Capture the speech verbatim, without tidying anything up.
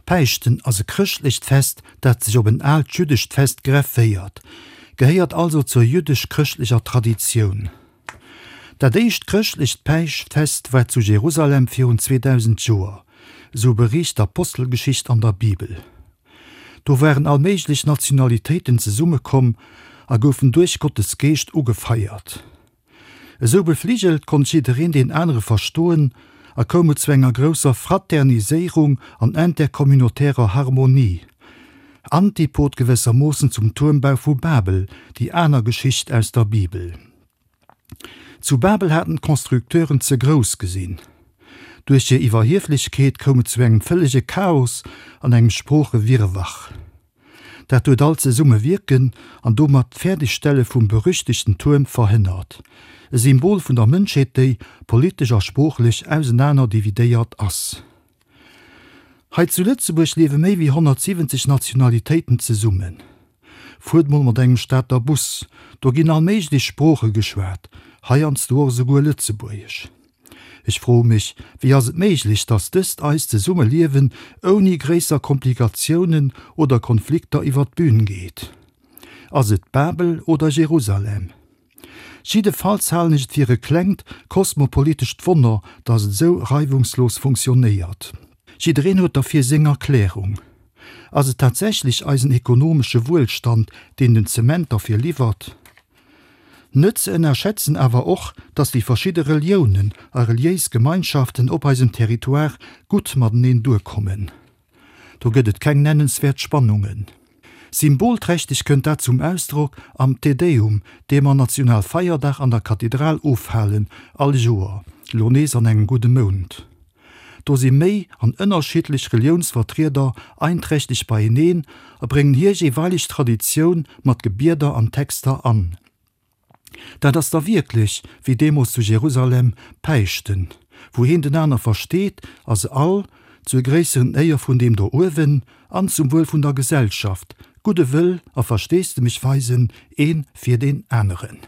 Päischten ass e chrëschtlecht Fest, dat sech op en aalt jüddescht Fest grefféiert, gehéiert also zur jüddesch-chrëschtlecher Traditioun. Dat éischt chrëschtlecht Päischtfest war zu Jerusalem virun zweedausend Joer, esou beriicht d'Apostelgeschicht an der Bibel. Do waren all méiglech Nationalitéiten zesummekomm a goufen duerch Gottes Geescht ugefeiert. Esou befligelt konnt jiddereen deen anere verstoen a koum et zu enger grousser Fraterniséierung an intercommunautärer Harmonie. Antipod gewëssermoossen zum Tuermbau vu Babel, déi aner Geschicht aus der Bibel. Zu Babel haten d'Constructeuren ze grouss gesinn. Duerch hir Iwwerhieflechkeet koum et zu engem vëllege Chaos an engem Sproochewirrwarr. Dat huet all Zesummewierken an domat d'Fäerdegstelle vum berüchtegten Tuerm verhënnert, e Symbol vun der Mënschheet, déi politesch a sproochlech ausenaner dividéiert ass. Hei zu Lëtzebuerg liewe méi wéi honnertsiwwenzeg Nationalitéiten zesummen. Fuert mol mat engem Stater Bus, do ginn all méiglech Sprooche geschwat, heiansdo och esouguer Lëtzebuergesch. Ech froe mech, wéi ass et méiglech, datt dëst eist Zesummeliewen ouni gréisser Komplikatiounen oder Konflikter iwwer d'Bün geet? Ass et Babel oder Jerusalem? Jiddefalls halen ech et fir e klengt kosmopolitescht Wonner, datt et esou reiwungslos funktionéiert. Jiddereen huet derfir seng Erklärung. Ass et tatsächlech eisen ekonomesche Wuelstand, deen den Zement derfir liwwert? Net ze ënnerschätzen awer och, datt déi verschidde Reliounen a reliéis Gemeinschaften op eisem Territoire gutt mateneen duerkommen. Do gëtt et keng nennenswäert Spannungen. Symbolträchteg kënnt dat zum Ausdrock am Te Deum, dee mer Nationalfeierdag an der Kathedral ofhalen, all Joer, lo nees an engem gudde Mount. Do si méi an ënnerschiddlech Reliounsvertrieder einträchteg beieneen a bréngen hir jeeweileg Traditioun mat Gebieder an Texter an. Dat ass da wierklech, wéi deemools zu Jerusalem, Päischten, wou een den aner versteet a se all, zur gréisseren Éier vun deem do uewen an zum Wuel vun der Gesellschaft, gudde Wëll a Versteesdemech weisen, ee fir deen aneren.